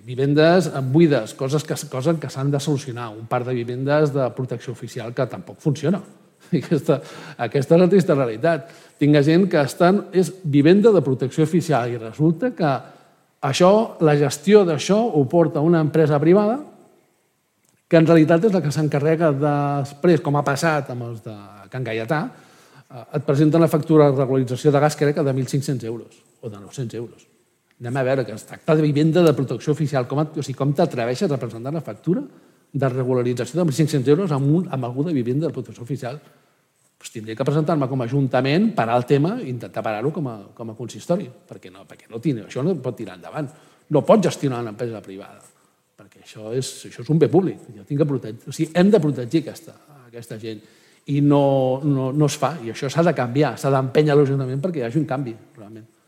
vivendes buides, coses que s'han de solucionar, un parc de vivendes de protecció oficial que tampoc funciona. Aquesta és la trista realitat. Tinc gent que és vivenda de protecció oficial i resulta que la gestió d'això ho porta una empresa privada que en realitat és la que s'encarrega després, com ha passat amb els de Can Gaietà, et presenten la factura de regularització de gas crec que de 1.500 euros o de 900 euros. Anem a veure que es tracta de vivenda de protecció oficial. Com t'atreveixes a presentar una factura de regularització de 1.500 euros amb algú de vivenda de protecció oficial? Doncs tindria que presentar-me com a ajuntament, parar el tema i intentar parar-ho com a consistori, perquè això no pot tirar endavant. No pot gestionar una empresa privada, perquè això és un bé públic. Hem de protegir aquesta gent i no es fa. I això s'ha de canviar, s'ha d'empènyer l'Ajuntament perquè hi hagi un canvi, realment.